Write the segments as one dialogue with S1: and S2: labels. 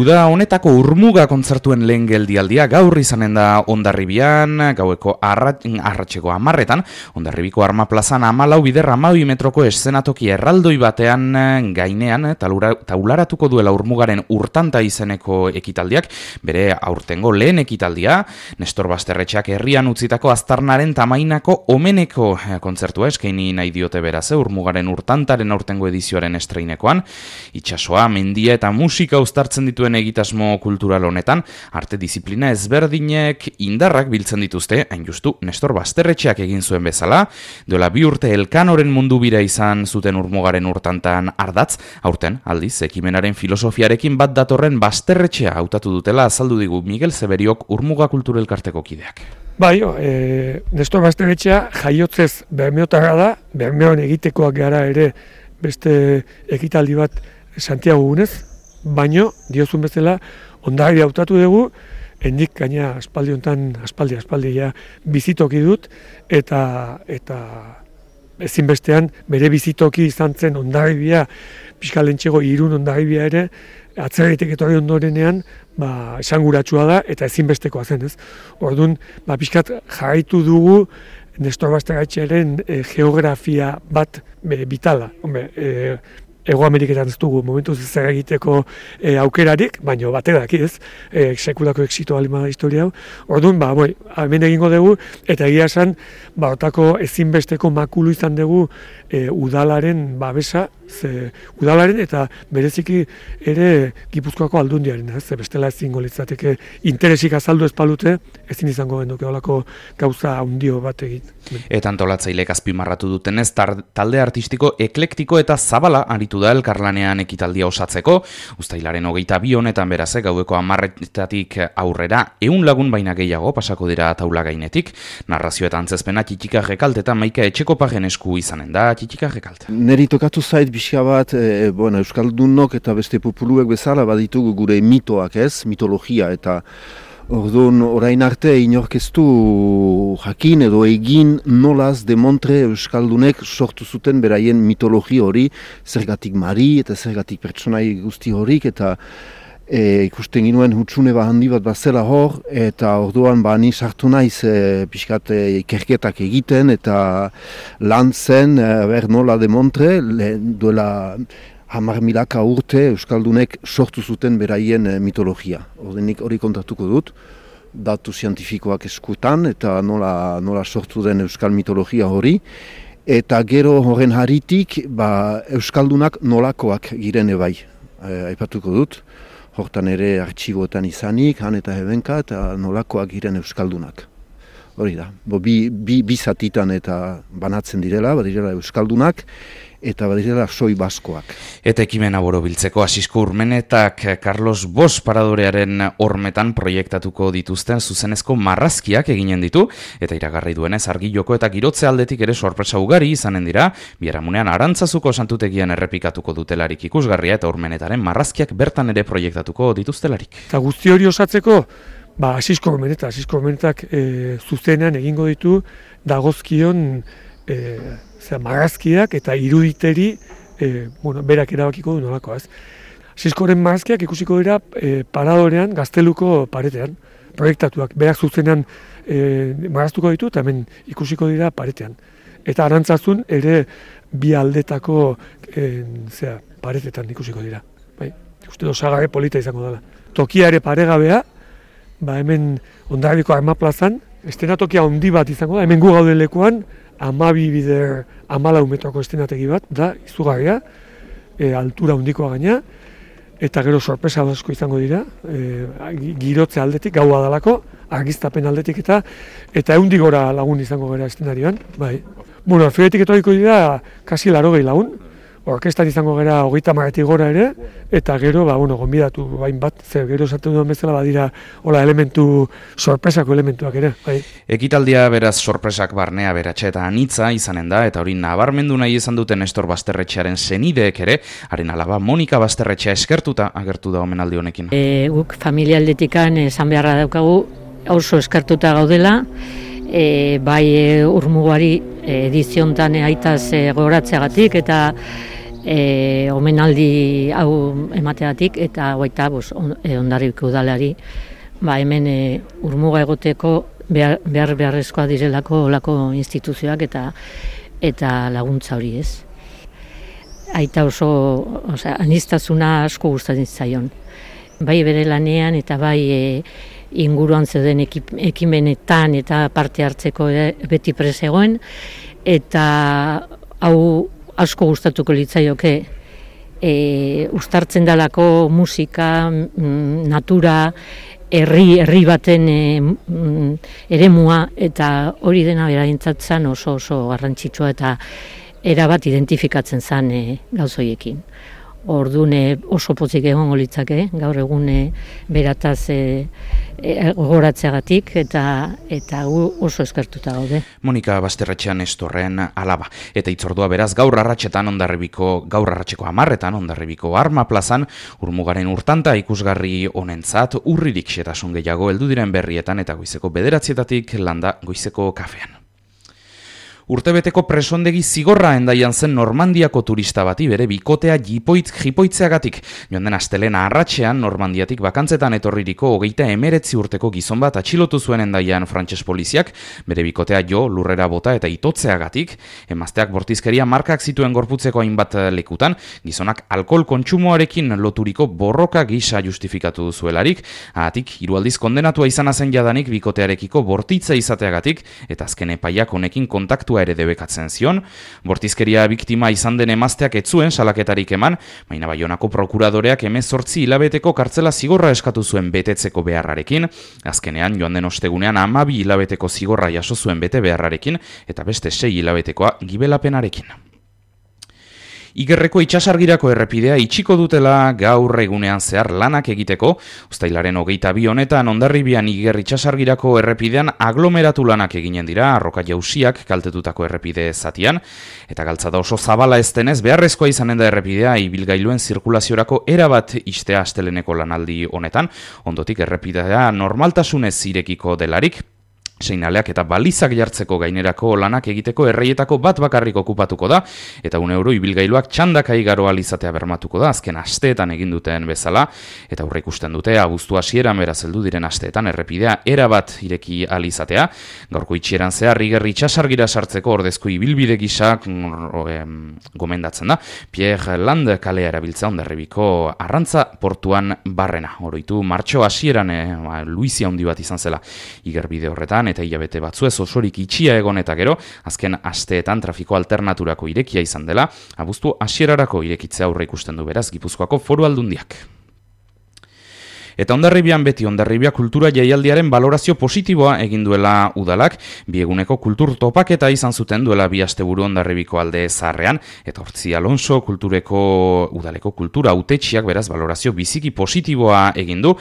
S1: Uda honetako Urmuga kontzertuen lehen geldialdia gaur izanen da Hondarribian, gaueko arratseko 10etan, Hondarribiko Arma Plazan 14 bider 12 metroko eszenatoki erraldoi batean gainean taularatuko duela Urmugaren urtanta izeneko ekitaldiak, bere aurtengo lehen ekitaldia, Nestor Basterretxeak herrian utzitako aztarnaren tamainako omeneko kontzertua eskaini nahi diote beraz, Urmugaren urtantaren aurtengo edizioaren estreinekoan, itsasoa, mendia eta musika uztartzen dituen egitasmo kultural honetan, arte disiplina ezberdinek indarrak biltzen dituzte, hain justu Nestor Basterretxeak egin zuen bezala, duela 2 urte Elkanoren mundu bira izan zuten Urmugaren urtantan ardatz, aurten aldiz ekimenaren filosofiarekin bat datorren Basterretxea hautatu dutela azaldu digu Miguel Zeberiok Urmuga Kultur Elkarteko kideak.
S2: Bai, Nestor Basterretxea jaiotzez Bermeotarra da, Bermeon egitekoak gara ere beste ekitaldi bat Santiago gunez, baino, diozun bezala, Hondarribia hautatu dugu, hendik gaina aspaldi ja bizitoki dut, eta ezinbestean bere bizitoki izan zen Hondarribia, Piskalentxego Irun Hondarribia ere, atzerritik etorri ondorenean, esanguratsua da eta ezinbestekoa zen, ez? Orduan, pixkat jarraitu dugu Nestor Basterretxearen geografia bat bitala. Ego Ameriketan ez dugu momentuz zer egiteko aukerarik, baina baterak ez, sekulako exito alimada historia hau. Orduan, hemen egingo dugu, eta egia esan, hortako ezinbesteko makulu izan dugu udalaren babesa, udalaren eta bereziki ere Gipuzkoako Aldundiaren, ze bestela ezingo litzateke interesik azaldu ez palute, ezin izango genduke olako gauza handio bat egin.
S1: Eta antolatzaileek azpimarratu dutenez, talde artistiko eklektiko eta zabala aritu da elkarlanean ekitaldia osatzeko, uztailaren 22 honetan beraz, gaueko 10etatik aurrera 100 lagun baina gehiago pasako dira taula gainetik, narrazio eta antzezpena Txitika Rekalt eta Maika Etxekopagen esku izanen da Txitika Rekalt.
S3: Neri tokatu zait pixka bat, Euskaldunok eta beste populuek bezala baditugu gure mitoak, mitologia, eta orduan orain arte inork ez du jakin edo egin nolaz demontre Euskaldunek sortu zuten beraien mitologia hori, zergatik Mari eta zergatik pertsonai guzti horik, eta ikusten ginuen hutsune handi bat bazela hor, eta orduan ni sartu naiz pixkat ikerketak egiten, eta lan zen nola demontre, duela 10.000 urte Euskaldunek sortu zuten beraien mitologia. Ordenik hori kontatuko dut, datu zientifikoak eskutan, eta nola sortu den Euskal mitologia hori, eta gero horren haritik, Euskaldunak nolakoak girene bai, aipatuko dut, hortan ere artxiboetan izanik, han eta hebenka, eta nolakoak giren Euskaldunak. Hori da, bi zatitan eta banatzen direla, badirela Euskaldunak, eta badirela soi baskoak.
S1: Eta ekimena borobiltzeko Asisko Urmenetak Carlos Bosch paradorearen hormetan proiektatuko dituzten zuzenezko marrazkiak eginen ditu, eta iragarri duenez argiloko eta girotze aldetik ere sorpresa ugari izanen dira, biharamunean Arantzazuko santutegian errepikatuko dutelarik ikusgarria eta Urmenetaren marrazkiak bertan ere proiektatuko dituztelarik.
S2: Eta guzti hori osatzeko, Asisko Urmenetak zuzenean egingo ditu dagozkion marrazkiak eta iruditeri berak erabakiko du nolako, ez. Asiskoren marrazkiak ikusiko dira paradorean Gazteluko paretean, proiektatuak, berak zuzenean marraztuko ditu eta hemen ikusiko dira paretean. Eta Arantzazun ere bi aldetako paretetan ikusiko dira. Ikuste osagarri polita izango dela. Tokia ere paregabea, hemen Hondarribiko Arma Plazan, estenatokia handi bat izango da, hemen gu gauden lekuan, 12 bider 14 metroko estenategi bat, da, izugarria, altura handikoa gaina, eta gero sorpresa asko izango dira, girotze aldetik, gaua dalako, argiztapen aldetik eta 100 gora lagun izango gara estenarioan, bai. Alferetik etorriko dira, kasi 80 lagun, orkestan izango gara 30 gora ere, eta gero, gonbidatu bain bat, zer gero esaten duen bezala badira elementu, sorpresako elementuak ere, bai.
S1: Ekitaldia beraz sorpresak barnea beratxe eta anitza izanen da, eta hori nabarmendu nahi izan duten Nestor Basterretxearen senideek ere, haren alaba Monika Basterretxea eskertuta agertu da omenaldi honekin.
S4: Guk familia aldetikan esan beharra daukagu, oso eskertuta gaudela, bai Urmugari ediziontan aitaz goratzeagatik, eta omenaldi hau emateatik, eta baita Hondarribiko udalari hemen urmuga egoteko beharrezkoa direlako olako instituzioak eta laguntza hori, ez. Aita aniztasuna asko gustatzen zaion. Bai bere lanean eta bai inguruan zeuden ekimenetan eta parte hartzeko beti presegoen, eta hau asko gustatuko litzaioke uztartzen dalako musika, natura, herri baten eremua, eta hori dena beraintzat oso garrantzitsua eta erabat identifikatzen zen gauzoiekin. Orduan oso pozik egongo litzake, gaur egun berataz gogoratzeagatik eta oso eskertuta gaude.
S1: Monika Basterretxean Nestorren alaba. Eta itzordua beraz gaur arratsetan gaur arratseko 10etan Hondarribiko Arma plazan urmugaren urtanta ikusgarri honentzat urririk xetasun gehiago heldu diren berrietan eta goizeko 9:00 landa goizeko kafean. Urtebeteko presondegi zigorra Hendaian zen Normandiako turista bati bere bikotea jipoitzeagatik. Joan den astelena arratsean Normandiatik bakantzetan etorririko 39 urteko gizon bat atxilotu zuen Hendaian frantses poliziak, bere bikotea lurrera bota eta itotzeagatik. Emazteak bortizkeria markak zituen gorputzeko hainbat lekutan, gizonak alkohol kontsumoarekin loturiko borroka gisa justifikatu zuelarik, ahatik 3 aldiz kondenatua izana zen jadanik bikotearekiko bortitza izateagatik, eta azken epaiak honekin kontaktu ere debekatzen zion. Bortizkeria biktima izan den emazteak ez zuen salaketarik eman, baina Baionako prokuradoreak 18 hilabeteko kartzela zigorra eskatu zuen betetzeko beharrarekin. Azkenean joan den ostegunean 12 hilabeteko zigorra jaso zuen bete beharrarekin eta beste 6 hilabetekoa gibelapenarekin. Igerreko itsasargirako errepidea itxiko dutela gaur egunean zehar lanak egiteko. Uztailaren 22 honetan Hondarribian Iger itsasargirako errepidean aglomeratu lanak eginen dira, arroka jausiak kaltetutako errepide zatian, eta galtzada oso zabala ez denez beharrezkoa izanen da errepidea ibilgailuen zirkulaziorako erabat ixtea asteleneko lanaldi honetan, ondotik errepidea normaltasunez irekiko delarik, seinaleak eta balizak jartzeko gainerako lanak egiteko erreietako bat bakarrik okupatuko da, eta €1 ibilgailuak txandaka igaro alizatea bermatuko da, azken asteetan egin duten bezala, eta aurre ikusten dute abuztu hasieran beraz heldu diren asteetan errepidea erabat ireki alizatea. Gaurko itxieran zehar Iger itsasargira sartzeko ordezko ibilbide gisak gomendatzen da, Pierre Land kalea erabiltzea Hondarribiko Arrantza portuan barrena. Oroitu martxo hasieran luizia handi bat izan zela Iger bide horretan, eta hilabete batzuez osorik itxia egon eta gero, azken asteetan trafiko alternaturako irekia izan dela, abuztu hasierarako irekitzea aurre ikusten du beraz Gipuzkoako Foru Aldundiak. Eta Hondarribian beti Hondarribia kultura jaialdiaren balorazio positiboa egin duela udalak, bieguneko kultur topaketa izan zuten duela 2 asteburu Hondarribiko alde zaharrean, eta Hortzi Alonso udaleko kultura hautetsiak beraz balorazio biziki positiboa egin du.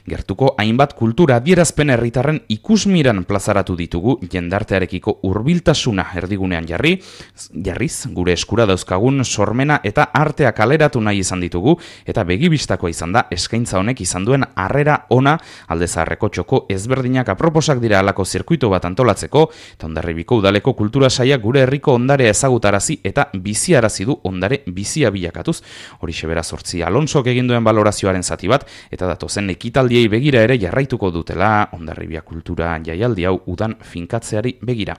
S1: Gertuko hainbat kultura adierazpen herritarren ikusmiran plazaratu ditugu jendartearekiko hurbiltasuna erdigunean jarriz, gure eskura dauzkagun sormena eta artea kaleratu nahi izan ditugu, eta begibistakoa izan da eskaintza honek izan duen harrera ona. Alde zaharreko txoko ezberdinak aproposak dira halako zirkuito bat antolatzeko, eta Hondarribiko udaleko kultura sailak gure herriko ondarea ezagutarazi eta biziarazi du ondare bizia bilakatuz. Horixe beraz Hortzi Alonsok egin duen balorazioaren zati bat, eta datozen ekitaldiei begira ere jarraituko dutela Hondarribia kultura jaialdi hau udan finkatzeari begira.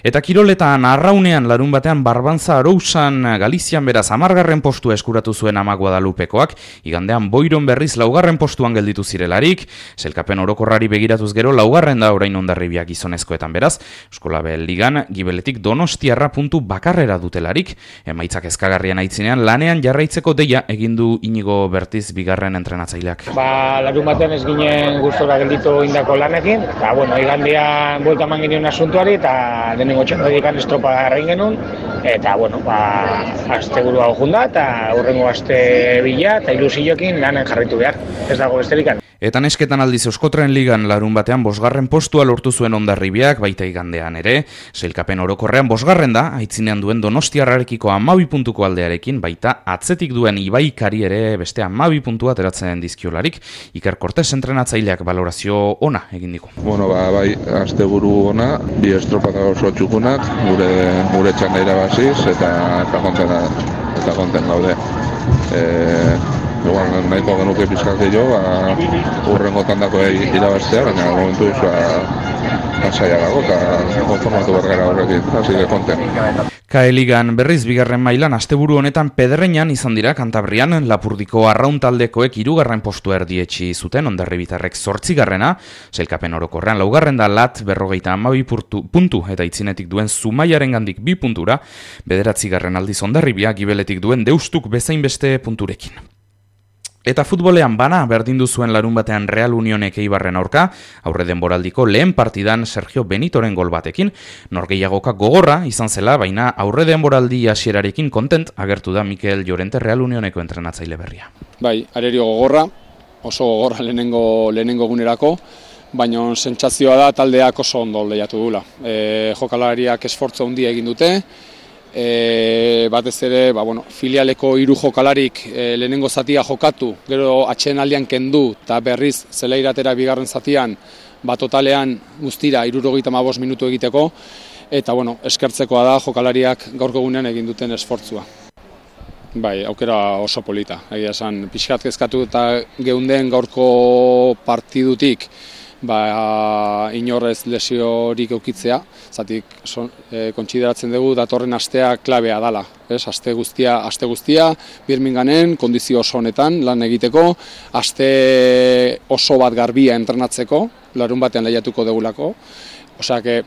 S1: Eta kiroletan arraunean larun batean Barbantza Arousan Galizian beraz 10. postua eskuratu zuen Ama Guadalupekoak, igandean Boiron berriz 4. postuan gelditu zirelarik, selkapen orokorrari begiratuz gero 4. da orain Hondarribia gizonezkoetan beraz, Euskolabel Ligan gibeletik Donostiarra puntu bakarrera dutelarik, emaitzak ezkagarrian aitzinean lanean jarraitzeko deia egin du Inigo Bertiz bigarren entrenatzaileak.
S5: Larun batean ez ginen gustora gelditu indako lanekin, eta igandean buelta eman ginen asuntuari, eta lehenengo txandodikan estropa errein genuen, eta aste burua junda, eta hurrengo aste bila, eta ilusioekin lanen jarritu behar. Ez dago besterikan.
S1: Eta nesketan aldiz Euskotren Ligan larun batean 5. postua lortu zuen Hondarribiak, baita igandean ere. Sailkapen orokorrean 5. da, aitzinean duen Donostiarrarekiko 12 puntuko aldearekin, baita atzetik duen Ibaikari ere beste 12 puntua ateratzen dizkiolarik. Iker Kortes entrenatzaileak balorazio ona egin diku.
S6: Bueno, bai, asteburu ona, 2 estropada oso txukunak, gure txanda irabaziz eta konten gaude. Igual, nahiko genuke pizkak gehiago, urrengo tandako irabaztea, baina momentu saia dago eta konformatu bergara horrekin, hasi de konten.
S1: Ligan berriz 2. mailan asteburu honetan Pedreñan izan dira Kantabrian, Lapurdiko Arraun taldekoek 3. postua erdietsi zuten, Hondarribitarrek 8. Sailkapen orokorrean 4. da Lat 52 puntu eta itzinetik duen Zumaiarengandik 2 puntura, 9. aldiz Hondarribia gibeletik duen Deustuk bezain beste punturekin. Eta futbolean bana berdindu zuen larun batean Real Unionek Eibarren aurka, aurre denboraldiko lehen partidan Sergio Benitoren gol batekin, norgehiagoka gogorra izan zela, baina aurre denboraldi hasierarekin kontent agertu da Mikel Llorente Real Unioneko entrenatzaile berria.
S7: Bai, arerio gogorra, oso gogorra lehenengo egunerako, baina sentsazioa da taldeak oso ondo lehiatu dula. Jokalariak esfortzu handia egin dute, batez ere, filialeko 3 jokalarik lehenengo zatia jokatu, gero atsedenaldian kendu eta berriz zeleiratera 2. zatian, totalean guztira 75 minutu egiteko, eta eskertzekoa da jokalariak gaurko egunean egin duten esfortzua. Bai, aukera oso polita, egia esan, pixkat kezkatu eta geunden gaurko partidutik, inorrez lesiorik eukitzea, zatik kontsideratzen dugu datorren astea klabea dala. Aste guztia, Birminghamen kondizio oso honetan lan egiteko, aste oso bat garbia entrenatzeko, larun batean lehiatuko degulako. Osake,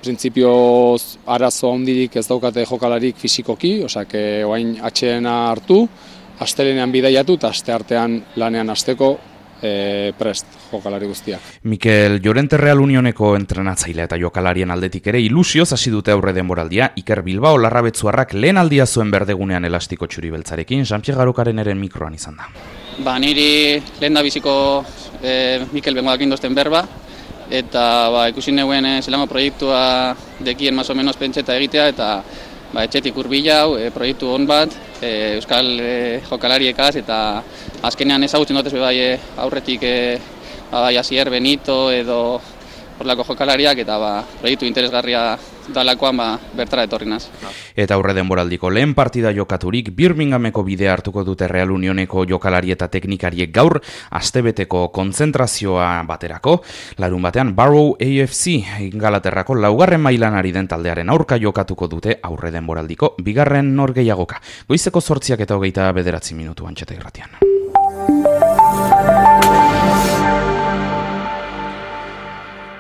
S7: printzipioz arazo handirik ez daukate jokalarik fisikoki, osake, oain atxeena hartu, astelenean bidaiatu eta aste artean lanean hasteko prest jokalari guztiak.
S1: Mikel Llorente Real Unioneko entrenatzailea eta jokalarien aldetik ere ilusioz hasi dute aurre denboraldia. Iker Bilbao Larrabetzuarrak lehen aldia zuen berdegunean elastiko txuri beltzarekin, Jean-Pierre Garokaren eren mikroan izan da.
S8: Niri lehen da biziko Mikel bengoak indozten berba, eta ikusi neuen zelango proiektua dekien más o menos pentseta egitea, eta etxetik hurbilau, proiektu hon bat, euskal jokalariekaz, eta azkenean ezagutzen dutez aurretik Asier, Benito edo horrelako jokalariak, eta proiektu interesgarria dalakoan bertara etorri naz.
S1: Eta aurre denboraldiko lehen partida jokaturik Birminghameko bidea hartuko dute Real Unioneko jokalari eta teknikariek gaur astebeteko kontzentrazioa baterako. Larun batean Barrow AFC Ingalaterrako 4. mailan ari den taldearen aurka jokatuko dute aurre denboraldiko 2. norgehiagoka. Goizeko 8:29 minutu Antxeta Irratian.